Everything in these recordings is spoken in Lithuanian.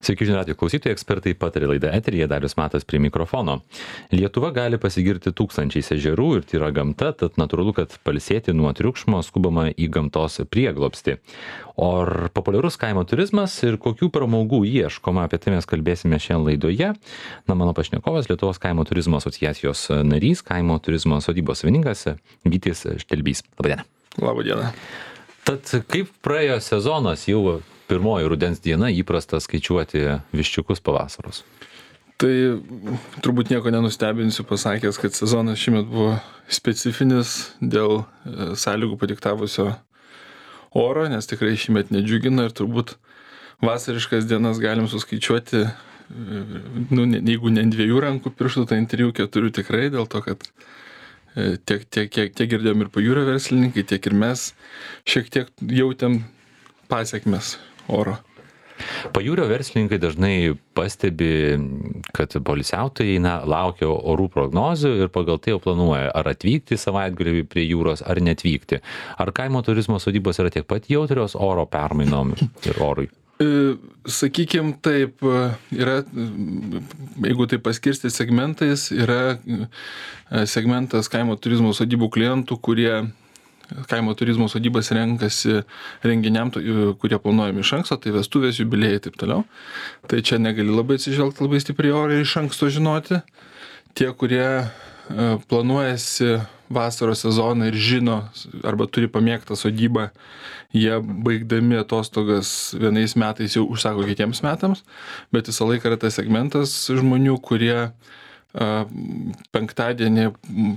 Sveiki, žinių radijo klausytojai, ekspertai patarė laidą eteryje, Darius Matas prie mikrofono. Lietuva gali pasigirti tūkstančiais ežerų ir tyra gamta, tad natūralu, kad pailsėti nuo triukšmo skubama į gamtos prieglobstį. O ar populiarus kaimo turizmas ir kokių pramogų ieškoma, apie tai mes kalbėsime šiandien laidoje. Mano pašnekovas Lietuvos kaimo turizmo asociacijos narys, kaimo turizmo sodybos savininkas Vytis Štelbys. Labadiena. Labadiena. Tad kaip praėjo sezonas, jau pirmoji rudens diena, įprasta skaičiuoti viščiukus pavasaros? Tai turbūt nieko nenustebinsiu pasakęs, kad sezonas šiemet buvo specifinis dėl sąlygų padiktavusio oro, nes tikrai šiemet nedžiugina ir turbūt vasariškas dienas galim suskaičiuoti, jeigu ne ant 2 rankų pirštų, tai ant 3-4 tikrai, dėl to, kad tiek girdėjom ir pajūrio verslininkai, tiek ir mes šiek tiek jautėm pasiekmes oro. Pajūrio verslininkai dažnai pastebi, kad poilsiautojai laukia orų prognozių ir pagal tai jau planuoja, ar atvykti savaitgalį prie jūros, ar neatvykti. Ar kaimo turizmo sodybos yra tiek pat jautrios oro permainom ir orui? Sakykim taip, yra, jeigu tai paskirsti segmentais, yra segmentas kaimo turizmo sodybų klientų, kurie kaimo turizmo sodybas renkasi renginiam, kurie planuojami iš anksto, tai vestuvės, jubiliejai ir taip toliau. Tai čia negali labai atsižvelgti labai stipriai orą ir iš anksto žinoti. Tie, kurie planuojasi vasaros sezoną ir žino arba turi pamėgtą sodybą, jie baigdami atostogas vienais metais jau užsako kitiems metams, bet visą laiką yra tas segmentas žmonių, kurie penktadienį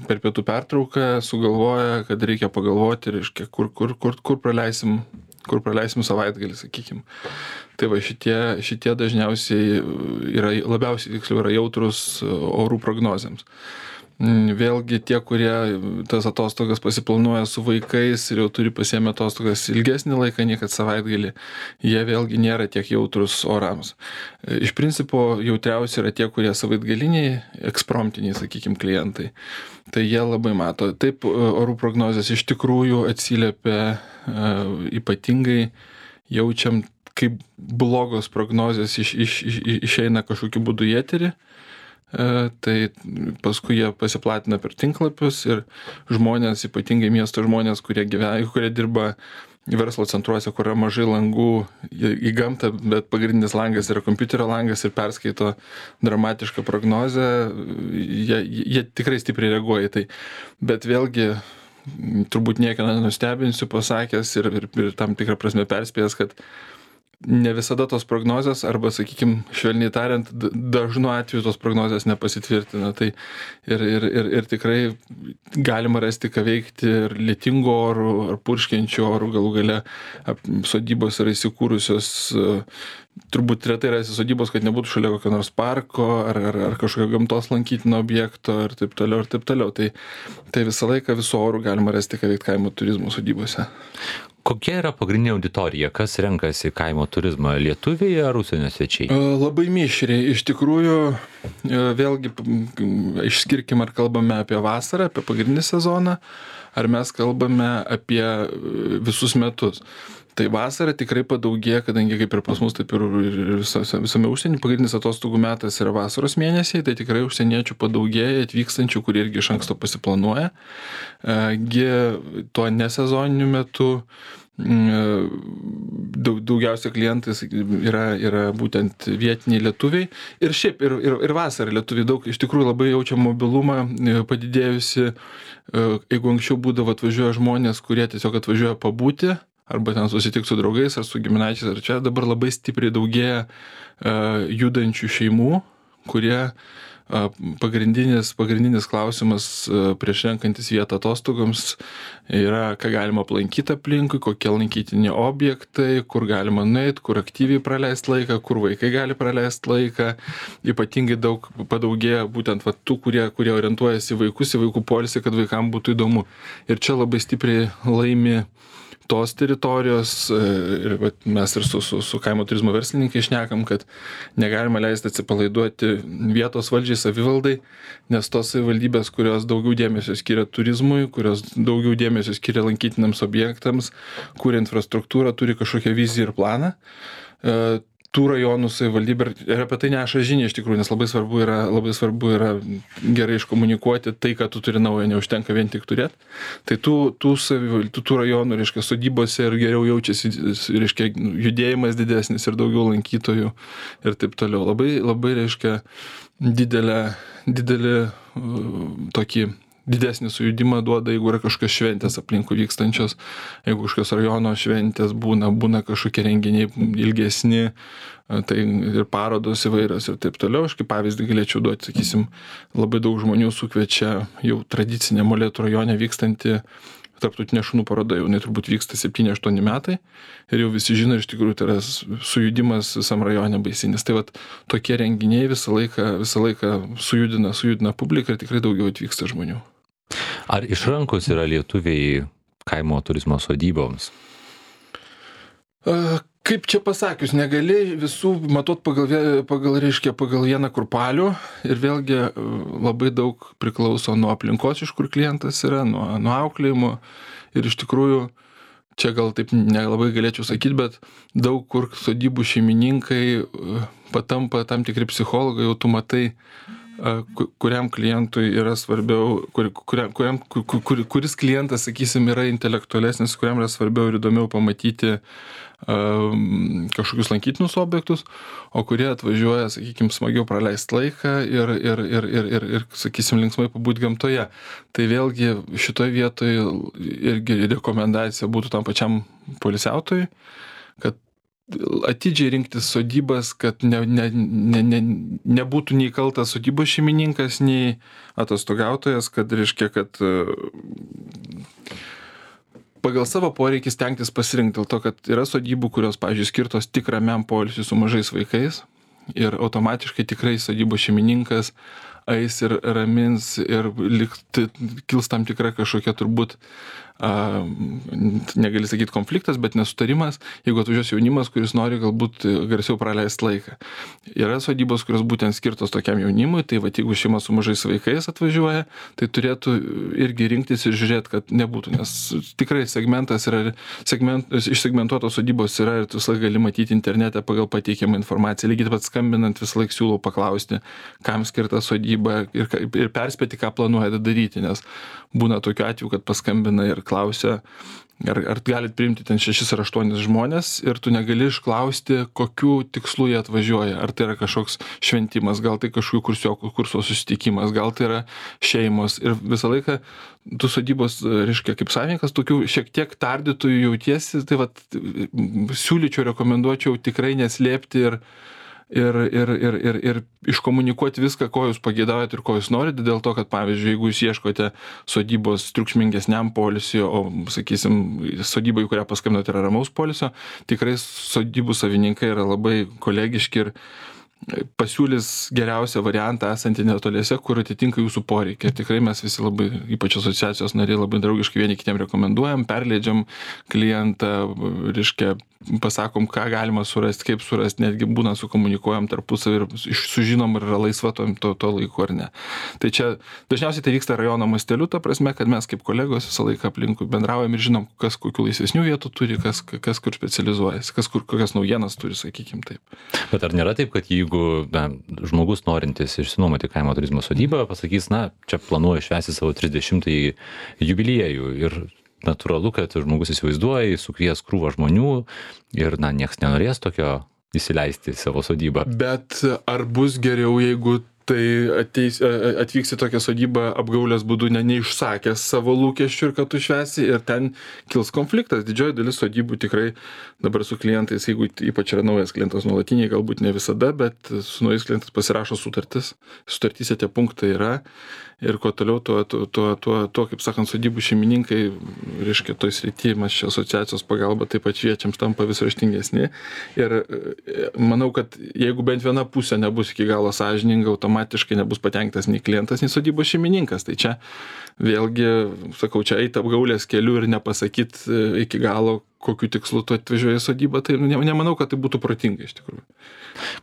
per pietų pertrauką sugalvoja, kad reikia pagalvoti, reiškia, kur praleisim savaitgalį, sakykim. Tai va šitie dažniausiai labiausiai tiksliau yra jautrus orų prognozėms. Vėlgi tie, kurie tas atostogas pasiplanuoja su vaikais ir jau turi pasiėmę atostogas ilgesnį laiką, nei kad savaitgalį, jie vėlgi nėra tiek jautrus orams. Iš principo jautriausi yra tie, kurie savaitgaliniai, ekspromptiniai, sakykim, klientai. Tai jie labai mato. Taip, orų prognozės iš tikrųjų atsiliepia ypatingai, jaučiam, kaip blogos prognozės išeina kažkokiu būdu į eterį. Tai paskui jie pasiplatina per tinklapius ir žmonės, ypatingai miesto žmonės, kurie dirba verslo centruose, kur yra mažai langų į gamtą, bet pagrindinis langas yra kompiuterio langas ir perskaito dramatišką prognozę, jie tikrai stipriai reaguoja į tai. Bet vėlgi, turbūt nieką nenustebinsiu pasakęs ir tam tikrą prasme perspėjęs, kad ne visada tos prognozės, arba, sakykim, švelniai tariant, dažnu atveju tos prognozės nepasitvirtina. Tai ir tikrai galima rasti, ką veikti ir lietingo orų, ar purškiančių orų, galų gale sodybos yra įsikūrusios, turbūt retai rasi sodybos, kad nebūtų šalia kokio nors parko, ar kažkokio gamtos lankytino objekto, ir taip toliau, ir taip toliau. Tai visą laiką visų orų galima rasti, ką veikti kaimo turizmo sodybose. Kokia yra pagrindinė auditorija? Kas renkasi kaimo turizmą? Lietuviai ar užsienio svečiai? Labai mišriai. Iš tikrųjų, vėlgi, išskirkim, ar kalbame apie vasarą, apie pagrindinį sezoną, ar mes kalbame apie visus metus. Tai vasara tikrai padaugėja, kadangi kaip ir pas mus, taip ir visame užsienį, pagrindinis atostogų metas yra vasaros mėnesiai, tai tikrai užsieniečių padaugėja, atvykstančių, kurie irgi iš anksto pasiplanuoja. Tuo nesezoniniu metu daugiausia klientais yra būtent vietiniai lietuviai. Ir šiaip, ir vasarą lietuviai daug, iš tikrųjų labai jaučia mobilumą padidėjusi. Jeigu anksčiau būdavo atvažiuoja žmonės, kurie tiesiog atvažiuoja pabūti, arba ten susitikti su draugais ar su giminaičiais, ar čia dabar labai stipriai daugėja judančių šeimų, kurie pagrindinis klausimas prieš renkantis vietą atostogoms yra, ką galima aplankyti aplinkui, kokie lankytini objektai, kur galima nueiti, kur aktyviai praleisti laiką, kur vaikai gali praleisti laiką. Ypatingai daug padaugėja būtent tų, kurie orientuojasi į vaikus, į vaikų poilsį, kad vaikams būtų įdomu. Ir čia labai stipriai laimi tos teritorijos, ir mes ir su kaimo turizmo verslininkai šnekam, kad negalima leisti atsipalaiduoti vietos valdžiai, savivaldai, nes tos savivaldybės, kurios daugiau dėmesio skiria turizmui, kurios daugiau dėmesio skiria lankytiniams objektams, kuria infrastruktūrą, turi kažkokią viziją ir planą, tų rajonų savivaldybė ir apie tai neša žinia iš tikrųjų, nes labai svarbu yra gerai iškomunikuoti tai, kad tu turi naują, neužtenka vien tik turėti. Tai tų rajonų, reiškia, sodybose ir geriau jaučiasi, reiškia, judėjimas didesnis ir daugiau lankytojų ir taip toliau. Labai reiškia, didelį tokį didesnį sujudimą duoda, jeigu yra kažkokios šventės aplinkui vykstančios, jeigu kažkokios rajono šventės būna kažkokie renginiai ilgesni, tai ir parodos įvairios ir taip toliau. Aš kaip pavyzdį galėčiau duoti, sakysim, labai daug žmonių sukviečia jau tradicinė Molėtų rajone vykstanti tarptautinė šunų paroda, jau turbūt vyksta 7-8 metai ir jau visi žino, iš tikrųjų tai yra sujudimas visam rajone baisinis. Tai vat tokie renginiai visą laiką sujudina publiką ir tikrai daugiau atvyksta žmonių. Ar išrankus yra lietuviai kaimo turizmo sodyboms? Kaip čia pasakius, negali visų matot pagal vieną kurpalių ir vėlgi labai daug priklauso nuo aplinkos, iš kur klientas yra, nuo auklėjimo ir iš tikrųjų, čia gal taip nelabai galėčiau sakyti, bet daug kur sodybų šeimininkai patampa tam tikri psichologai, jau tu matai, kuriam klientui yra svarbiau, kuris klientas, sakysim, yra intelektualesnis, kuriam yra svarbiau ir įdomiau pamatyti kažkokius lankytinus objektus, o kurie atvažiuoja, sakykim, smagiau praleisti laiką ir sakysim, linksmai pabūti gamtoje. Tai vėlgi šitoje vietoje irgi rekomendacija būtų tam pačiam poilsiautojui, kad atidžiai rinktis sodybas, kad nebūtų nei kaltas sodybos šeimininkas, nei atostogautojas, kad reiškia, kad pagal savo poreikį stengtis pasirinkti, dėl to, kad yra sodybų, kurios, pavyzdžiui, skirtos tik ramiam poilsiui su mažais vaikais ir automatiškai tikrai sodybos šeimininkas eis ir ramins ir kils tam tikra kažkokia turbūt, negali sakyti konfliktas, bet nesutarimas, jeigu atvažiuos jaunimas, kuris nori galbūt garsiau praleisti laiką. Yra sodybos, kurios būtent skirtos tokiam jaunimui, tai va, jeigu šeima su mažais vaikais atvažiuoja, tai turėtų irgi rinktis ir žiūrėti, kad nebūtų, nes tikrai segmentas yra, išsegmentuotos sodybos yra ir tu visą laik gali matyti internete pagal pateikiamą informaciją. Lygiai taip pat skambinant visą laik siūlau paklausti, kam skirta sodyba ir perspėti, ką planuoja daryti, nes būna tokiu atveju, kad paskambina ir klausia, ar galit priimti ten 6 ar 8 žmonės ir tu negali išklausti, kokiu tikslu jie atvažiuoja. Ar tai yra kažkoks šventimas, gal tai kažkokių kurso susitikimas, gal tai yra šeimos. Ir visą laiką tu sodybos, reiškia, kaip savininkas, tokių šiek tiek tardytojų jautiesi, tai vat siūlyčiau, rekomenduočiau tikrai neslėpti ir iškomunikuoti viską, ko jūs pageidaujat ir ko jūs norite, dėl to, kad, pavyzdžiui, jeigu jūs ieškote sodybos triukšmingesniam poilsiui, o, sakysim, sodybai, kurią paskambinote, yra ramaus poilsio, tikrai sodybų savininkai yra labai kolegiški ir pasiūlys geriausią variantą esantį netoliese, kur atitinka jūsų poreikį. Ir tikrai mes visi labai, ypač asociacijos nariai, labai draugiškai vieni kitiem rekomenduojam, perleidžiam klientą, reiškia, pasakom, ką galima surasti, kaip surasti, netgi būna sukomunikuojam tarpusavį ir sužinom, ar yra laisva to laiku ar ne. Tai čia dažniausiai tai vyksta rajono masteliu, ta prasme, kad mes kaip kolegos visą laiką aplinkui bendraujam ir žinom, kas kokių laisvesnių vietų turi, kas kur specializuojasi, kokias naujienas turi, sakykim taip. Bet ar nėra taip, kad jeigu žmogus norintis išsinuomoti kaimo turizmo sodybą pasakys, čia planuoju švęsti savo 30-ąjį jubiliejų ir natūralu, kad žmogus įsivaizduoja, sukvies krūvą žmonių ir nieks nenorės tokio įsileisti savo sodybą. Bet ar bus geriau, jeigu tai atvyks į tokią sodybą apgaulės būdu neišsakęs savo lūkesčių ir kad tu švęsi ir ten kils konfliktas. Didžioji dalis sodybų tikrai dabar su klientais, jeigu ypač yra naujas klientas nuolatiniai, galbūt ne visada, bet su naujais klientais pasirašo sutartis. Sutartyse tie punktai yra ir kuo toliau, tuo kaip sakant, sodybų šeimininkai, reiškia, toj srity, mes čia asociacijos pagalba taip pat šviečiams tampa vis raštingesni. Ir manau, kad jeigu bent viena pusė nebus iki galo sąžininga, automatiškai nebus patenkintas nei klientas, nei sodybos šeimininkas. Tai čia vėlgi, sakau, čia eiti apgaulės keliu ir nepasakyt iki galo, kokiu tikslu tu atvažiuoji į sodybą, tai nemanau, kad tai būtų protinga iš tikrųjų.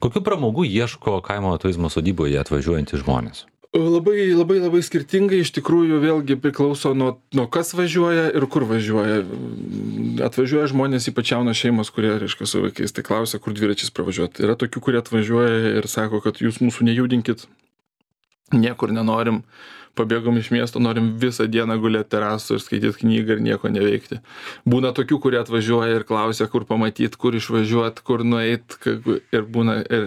Kokių pramogų ieško kaimo turizmo sodyboje atvažiuojantys žmonės? Labai skirtingai, iš tikrųjų vėlgi priklauso nuo kas važiuoja ir kur važiuoja. Atvažiuoja žmonės, ypač jaunos šeimos, kurie, reiškia, su vaikais, tai klausia, kur dviračiais pravažiuoti. Yra tokių, kurie atvažiuoja ir sako, kad jūs mūsų nejudinkit, niekur nenorim, pabėgom iš miesto, norim visą dieną gulėti terasų ir skaityti knygą ir nieko neveikti. Būna tokių, kurie atvažiuoja ir klausia, kur pamatyti, kur išvažiuoti, kur nueiti, ir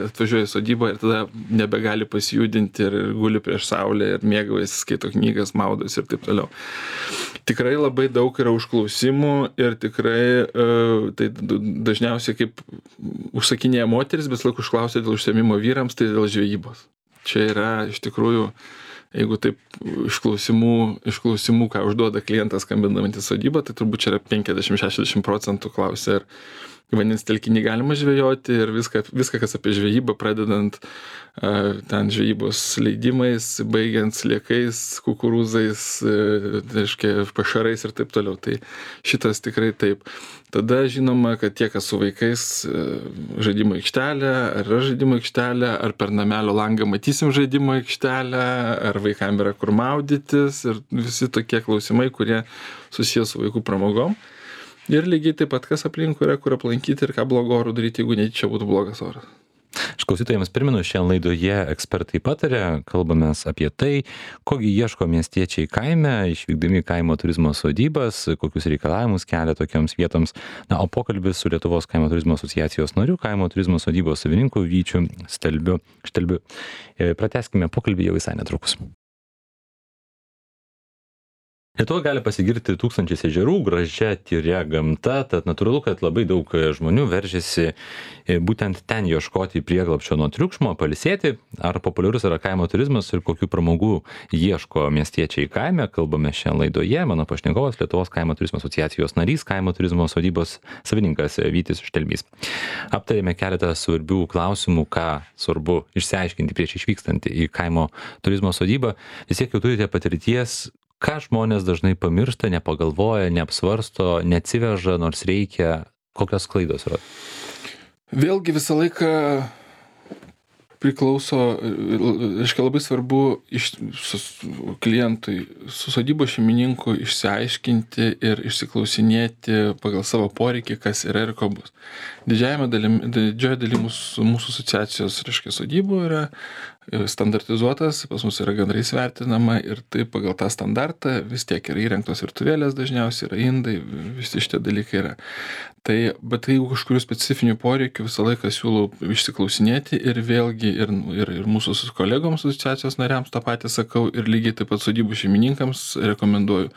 atvažiuoja į sodybą ir tada nebegali pasijudinti ir guli prieš saulę ir mėgaujasi, skaito knygas, maudosi ir taip toliau. Tikrai labai daug yra užklausimų ir tikrai tai dažniausiai kaip užsakinėja moteris, bet laik užklausia dėl užsiėmimo vyrams, tai dėl žvejybos. Čia yra iš tikrųjų, jeigu taip išklausimų, ką užduoda klientas skambinantis sodybą, tai turbūt čia yra 50-60% klausia, ar vandens telkinį galima žvejoti ir viską, kas apie žvejybą, pradedant ten žvejybos leidimais, baigiant sliekais, kukurūzais, pašarais ir taip toliau. Tai šitas tikrai taip. Tada žinoma, kad tie, kas su vaikais, žaidimo aikštelė, ar yra žaidimo aikštelė, ar per namelio langą matysim žaidimo aikštelę, ar vaikam yra kur maudytis ir visi tokie klausimai, kurie susijęs su vaikų pramogom. Ir lygiai taip pat, kas aplinkui yra, kur aplankyti ir ką blogo orų daryti, jeigu čia būtų blogas oras. Aš klausytojams primenu, šiandien laidoje ekspertai pataria, kalbamės apie tai, kogi ieško miestiečiai kaime, išvykdami kaimo turizmo sodybas, kokius reikalavimus kelia tokioms vietoms. Na, o pokalbis su Lietuvos kaimo turizmo asociacijos nariu, kaimo turizmo sodybos savininku Vyčiu Štelbiu. Pratęskime pokalbį jau visai netrukus. Lietuva gali pasigirti tūkstančiais ežerų, gražia, tyria gamta, tad natūralu, kad labai daug žmonių veržiasi būtent ten ieškoti prieglobsčio nuo triukšmo, pailsėti. Ar populiarus yra kaimo turizmas ir kokių pramogų ieško miestiečiai kaime, kalbame šiandien laidoje. Mano pašnekovas Lietuvos kaimo turizmo asociacijos narys, kaimo turizmo sodybos savininkas Vytis Štelbys. Aptarėme keletą svarbių klausimų, ką svarbu išsiaiškinti prieš išvykstant į kaimo turizmo sodybą. Vis tiek jau turite patirties, ką žmonės dažnai pamiršta, nepagalvoja, neapsvarsto, neatsiveža, nors reikia, kokios klaidos yra? Vėlgi visą laiką priklauso, reiškia labai svarbu klientui, su sodybos šeimininku išsiaiškinti ir išsiklausinėti pagal savo poreikį, kas yra ir ko bus. Didžioji dalis mūsų asociacijos, reiškia, sodybų yra standartizuotas, pas mus yra gandrais vertinama ir tai pagal tą standartą vis tiek yra įrengtos virtuvėlės, dažniausiai yra indai, visi šitie dalykai yra. Bet jeigu kažkurių specifinių poreikių, visą laiką siūlau išsiklausinėti ir vėlgi ir mūsų kolegoms asociacijos nariams tą patį sakau ir lygiai taip pat sodybų šeimininkams rekomenduoju,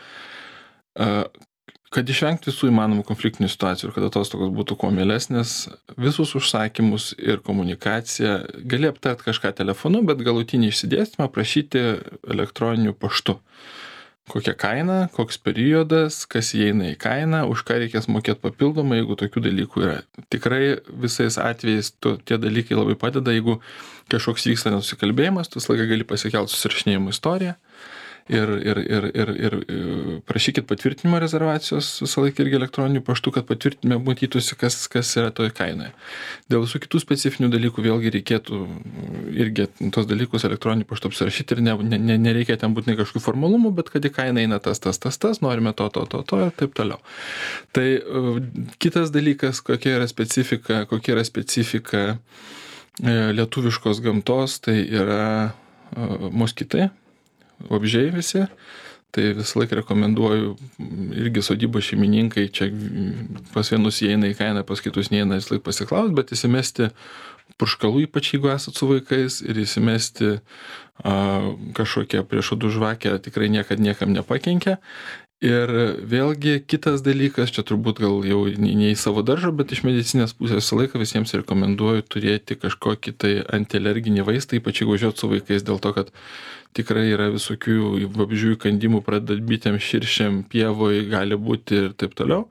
kad išvengti visų įmanomų konfliktinių situacijų ir kad atostogos būtų kuo mielesnės, visus užsakymus ir komunikaciją gali aptart kažką telefonu, bet galutinį išsidėstymą prašyti elektroniniu paštu. Kokia kaina, koks periodas, kas įeina į kainą, už ką reikės mokėti papildomai, jeigu tokių dalykų yra. Tikrai visais atvejais tie dalykai labai padeda, jeigu kažkoks vyksta nesusikalbėjimas, tu visą laiką gali pasikelti susirašinėjimo istoriją. Ir prašykit patvirtinimo rezervacijos visą laiką irgi elektroniniu paštu, kad patvirtinime matytųsi, kas yra toje kainoje. Dėl visų kitų specifinių dalykų vėlgi reikėtų irgi tos dalykus elektroniniu paštu apsirašyti ir nereikia ten būtinai kažkokių formalumų, bet kad į kainą eina tas, norime to ir taip toliau. Tai kitas dalykas, kokia yra specifika lietuviškos gamtos, tai yra moskitai. Vabzdžiai visi, tai visą laiką rekomenduoju irgi sodybos šeimininkai, čia pas vienus įeina į kainą, pas kitus neįeina, vis laik pasiklaus, bet įsimesti purškalų, ypač jeigu esat su vaikais, ir įsimesti kažkokią priešodų žvakę tikrai niekam nepakenkia. Ir vėlgi kitas dalykas, čia turbūt gal jau ne į savo daržą, bet iš medicinės pusės visą laiką visiems rekomenduoju turėti kažkokį tai antialerginį vaistą, ypač jeigu važiuot su vaikais, dėl to, kad tikrai yra visokių vabzdžių įkandimų, pradedant bitėm, širšėm, pievoj, gali būti ir taip toliau.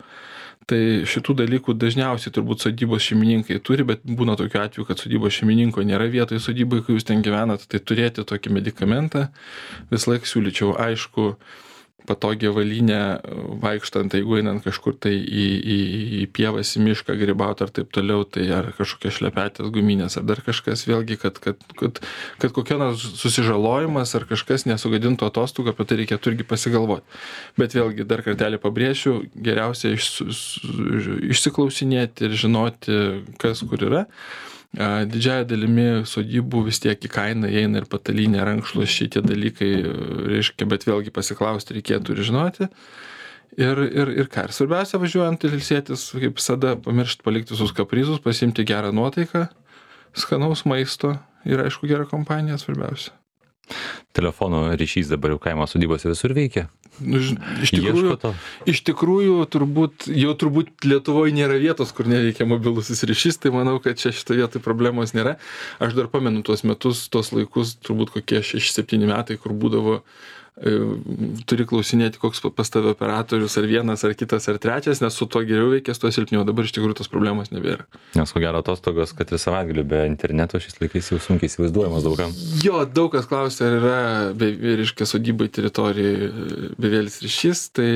Tai šitų dalykų dažniausiai turbūt sodybos šeimininkai turi, bet būna tokiu atveju, kad sodybos šeimininko nėra vietoje sodybai, kai jūs ten gyvenat, tai turėti tokį medikamentą. Vis laik siūlyčiau, aišku, patogią avalynę vaikštant, jeigu einant kažkur tai į pievas, į mišką grybauti ar taip toliau, tai ar kažkokios šlepetės guminės, ar dar kažkas, vėlgi, kad kokia nors susižalojimas ar kažkas nesugadintų atostogų, apie tai reikėtų irgi pasigalvoti. Bet vėlgi, dar kartelį pabrėšiu, geriausia išsiklausinėti ir žinoti, kas kur yra. Didžiąją dalimi sodybų vis tiek į kainą įeina ir patalynė, rankšluosčiai, tie dalykai, reiškia, bet vėlgi pasiklausti reikėtų ir žinoti. Ir ką, ir svarbiausia važiuojant ir ilsėtis, kaip visada, pamiršti palikti visus kaprizus, pasiimti gerą nuotaiką, skanaus maisto ir aišku gerą kompaniją svarbiausia. Telefono ryšys dabar jau kaimo sodybose visur veikia. Iš tikrųjų, turbūt Lietuvoje nėra vietos, kur neveikia mobilusis ryšys, tai manau, kad čia šitoje vietoje problemos nėra. Aš dar pamenu tuos metus, tuos laikus, turbūt kokie 6-7 metai, kur būdavo, turi klausinėti, koks pas tave operatorius, ar vienas, ar kitas, ar trečias, nes su to geriau veikės, to silpniau. Dabar iš tikrųjų tos problemos nebėra. Nes ko gero atostogos, kad ir savaitgalį be interneto šiais laikais jau sunkiai įsivaizduojamas daugam. Jo, daug kas klausia, ar yra, reiškia, sodybai teritorijai bevėlis ryšys, tai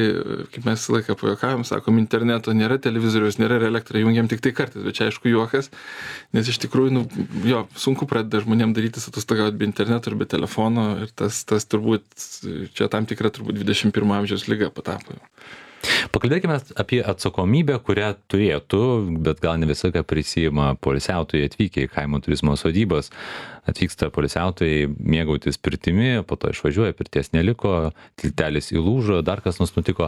kaip mes visą laiką pajuokavom, sakom, interneto nėra, televizoriaus nėra ir elektrą jungiam tik tai kartais, bet čia aišku juokas, nes iš tikrųjų, sunku pradeda žmonėm darytis atostogauti be interneto ir be telefono ir tas turbūt čia tam tikra turbūt 21 amžiaus lyga patapo. Pakalbėkime apie atsakomybę, kurią turėtų, bet gal ne visą, ką prisijima poilsiautojai atvykę į kaimo turizmo sodybas. Atvyksta poilsiautojai mėgautis pirtimi, po to išvažiuoja, pirties neliko, tiltelis įlūžo, dar kas nors nutiko.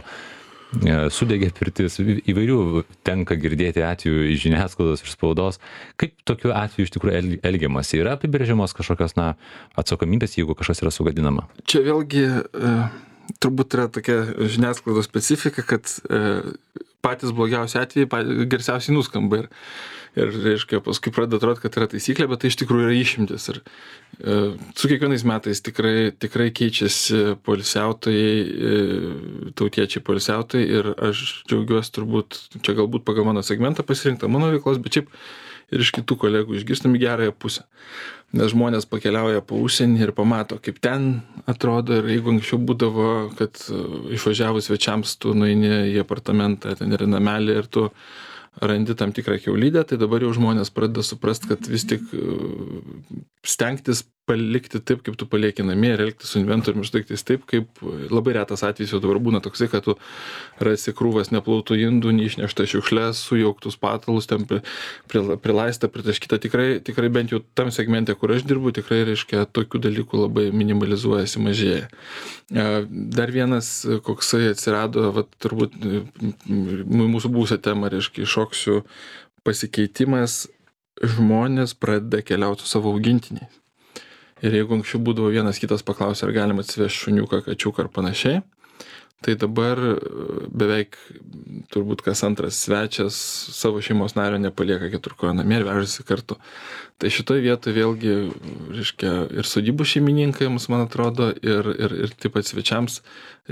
Sudegė pirtis, įvairių tenka girdėti atvejų iš žiniasklaidos, iš spaudos. Kaip tokiu atveju iš tikrųjų elgiamas? Yra apibrėžiamos kažkokios atsakomybės, jeigu kažkas yra sugadinama? Čia vėlgi turbūt yra tokia žiniasklaidos specifika, kad patys blogiausi atvejai garsiausiai nuskamba ir reiškia, paskui pradeda atrodyti, kad yra taisyklė, bet tai iš tikrųjų yra išimtis. Ir su kiekvienais metais tikrai keičiasi poilsiautojai, tautiečiai poilsiautojai ir aš džiaugiuosi turbūt, čia galbūt pagal mano segmentą pasirinkta mano veiklos, bet šiaip ir iš kitų kolegų išgirstam į gerąją pusę. Nes žmonės pakeliauja po užsienį ir pamato, kaip ten atrodo, ir jeigu anksčiau būdavo, kad išvažiavus svečiams tu nueini į apartamentą, ten yra namelį ir tu randi tam tikrą kiaulydę, tai dabar jau žmonės pradeda suprasti, kad vis tik stengtis palikti taip, kaip tu palieki namie ir elgtis su inventoriumi ir daiktais taip, kaip labai retas atvejis jau dabar būna toksai, kad tu rasi krūvas neplautų indų, neišnešta šiukšles, sujauktus patalus, ten prilaista, pritaškyta. Tikrai bent jau tam segmente, kur aš dirbu, tikrai reiškia tokių dalykų labai minimalizuojasi, mažėja. Dar vienas, koksai atsirado, turbūt mūsų buvusią temą, reiškia, iššoksiu pasikeitimas, žmonės pradeda keliauti su savo augintiniais. Ir jeigu anksčiau būdavo vienas kitas paklausė, ar galima atsivežti šuniuką, kačiuką ar panašiai, tai dabar beveik turbūt kas antras svečias savo šeimos nario nepalieka keturkojo namie ir vežasi kartu. Tai šitoje vietoje vėlgi, reiškia, ir sodybų šeimininkams, man atrodo, ir taip pat svečiams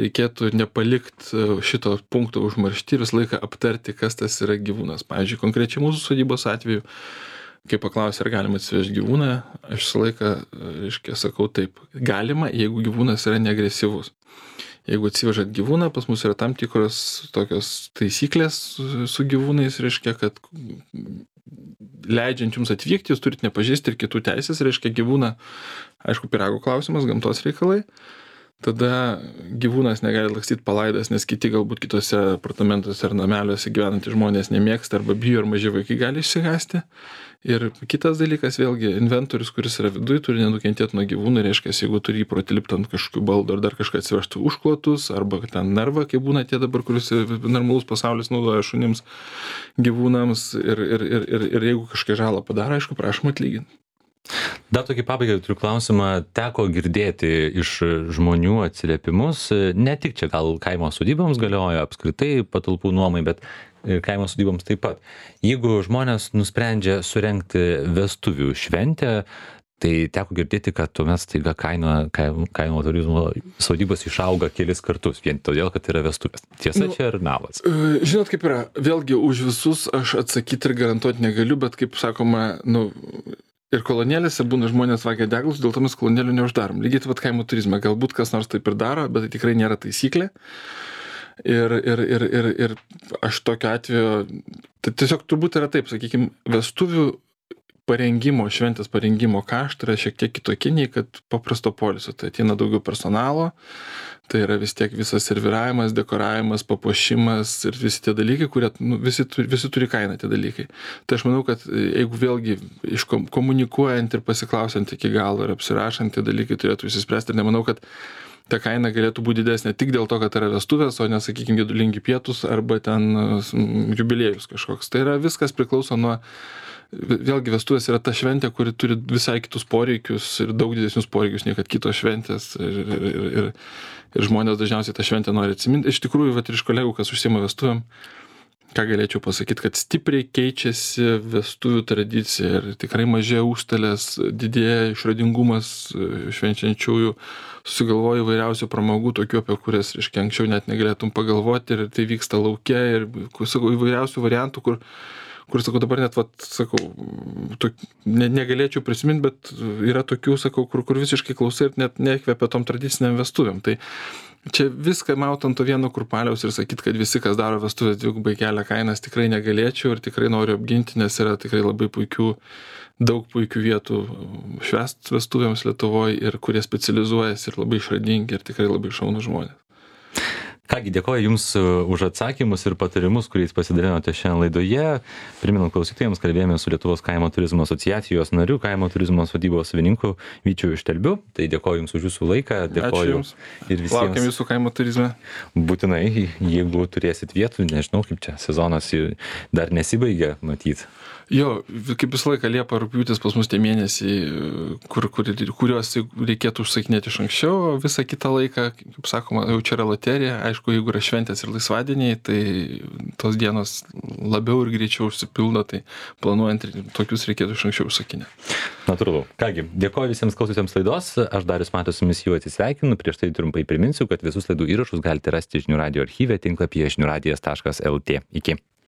reikėtų nepalikti šito punkto užmaršti ir visą laiką aptarti, kas tas yra gyvūnas. Pavyzdžiui, konkrečiai mūsų sodybos atveju, kai paklausė, ar galima atsivežti gyvūną, aš visą laiką, reiškia, sakau taip, galima, jeigu gyvūnas yra neagresyvus. Jeigu atsivežat gyvūną, pas mus yra tam tikros tokios taisyklės su gyvūnais, reiškia, kad leidžiant jums atvykti, jūs turite nepažeisti ir kitų teisės, reiškia gyvūną, aišku, pyrago klausimas, gamtos reikalai. Tada gyvūnas negali lakstyti palaidas, nes kiti galbūt kitose apartamentuose ar nameliuose gyvenantys žmonės nemėgsta arba bijo, ar maži vaikai gali išsigąsti. Ir kitas dalykas, vėlgi, inventorius, kuris yra viduje, turi nenukentėti nuo gyvūnų, reiškia, jeigu turi įprotį lipti ant kažkokių baldų ar dar kažką atsivežti užklotus, arba ten narvą, kaip būna tie dabar, kuris normalus pasaulis naudoja šunims, gyvūnams, ir jeigu kažką žalą padaro, aišku, prašom atlyginti. Dar tokį pabaigą turiu klausimą, teko girdėti iš žmonių atsiliepimus, ne tik čia gal kaimo sodyboms galioja apskritai patalpų nuomai, bet kaimo sodyboms taip pat. Jeigu žmonės nusprendžia surengti vestuvių šventę, tai teko girdėti, kad tuomet staiga kaimo turizmo sodybos išauga kelis kartus, vien todėl, kad yra vestuvės. Tiesa, čia ir melas. Žinot, kaip yra, vėlgi už visus aš atsakyti ir garantuoti negaliu, bet kaip sakoma, Ir kolonėlėse būna žmonės vagia deglus, dėl to mes kolonėlių neuždarom. Lygiai taip pat kaimo turizme. Galbūt kas nors taip ir daro, bet tai tikrai nėra taisyklė. Ir aš tokiu atveju, tai tiesiog turbūt yra taip, sakykime, vestuvių parengimo, šventės parengimo kaštai yra šiek tiek kitokie nei kad paprasto poilsio. Tai ateina daugiau personalo, tai yra vis tiek visas serviravimas, dekoravimas, papuošimas ir visi tie dalykai, kurie visi turi kainą tie dalykai. Tai aš manau, kad jeigu vėlgi komunikuojant ir pasiklausiant iki galo ir apsirašant, tie dalykai turėtų įsispręsti ir nemanau, kad ta kaina galėtų būti didesnė tik dėl to, kad yra vestuvės, o ne, sakykime, gedulingi pietus arba ten jubiliejus kažkoks. Tai yra viskas priklauso nuo. Vėlgi vestuvės yra ta šventė, kuri turi visai kitus poreikius ir daug didesnius poreikius nei kad kitos šventės ir žmonės dažniausiai tą šventę nori atsiminti. Iš tikrųjų, vat, ir iš kolegų, kas užsiima vestuvėm, ką galėčiau pasakyti, kad stipriai keičiasi vestuvių tradicija ir tikrai mažėja užstalės, didėja išradingumas švenčiančiųjų, susigalvoja įvairiausių pramogų, tokių, apie kurias, reiškia, anksčiau net negalėtum pagalvoti ir tai vyksta lauke ir, sakau, įvairiausių variantų, kur, sakau, dabar net, sakau, negalėčiau prisiminti, bet yra tokių, sakau, kur visiškai klausai ir net nekvepia tom tradiciniam vestuvėm. Tai čia viską maut ant to vieno kurpaliaus ir sakyti, kad visi, kas daro vestuvės, dvigubai kelia kainas, tikrai negalėčiau ir tikrai noriu apginti, nes yra tikrai labai daug puikių vietų švęst vestuvėms Lietuvoje ir kurie specializuojasi ir labai išradingi ir tikrai labai šaunūs žmonės. Kągi, dėkoju Jums už atsakymus ir patarimus, kuriais pasidalinote šiandien laidoje. Priminant klausytojams, kalbėjome su Lietuvos kaimo turizmo asociacijos nariu, kaimo turizmo sodybos savininku Vyčiu Štelbiu. Tai dėkoju Jums už Jūsų laiką. Dėkoju Jums. Ir visiems. Laukiam Jūsų kaimo turizme. Būtinai, jeigu turėsit vietų, nežinau, kaip čia sezonas dar nesibaigė, matyt. Jo, kaip visą laiką Liepa, rugpjūtis pas mus tie mėnesiai, kuriuos reikėtų užsakinėti iš anksčiau, o visą kitą laiką, kaip sakoma, jau čia yra loterija. Aišku, jeigu yra šventės ir laisvadieniai, tai tos dienos labiau ir greičiau užsipildo, tai planuojant tokius reikėtų iš anksčiau užsakinėti. Natūralu. Kągi, dėkoju visiems klausytėms laidos. Aš Darius Matas su jumis jau atsisveikinu. Prieš tai trumpai priminsiu, kad visus laidų įrašus galite rasti žinių radijo archyve tinklapyje žiniųradijas.lt. Iki.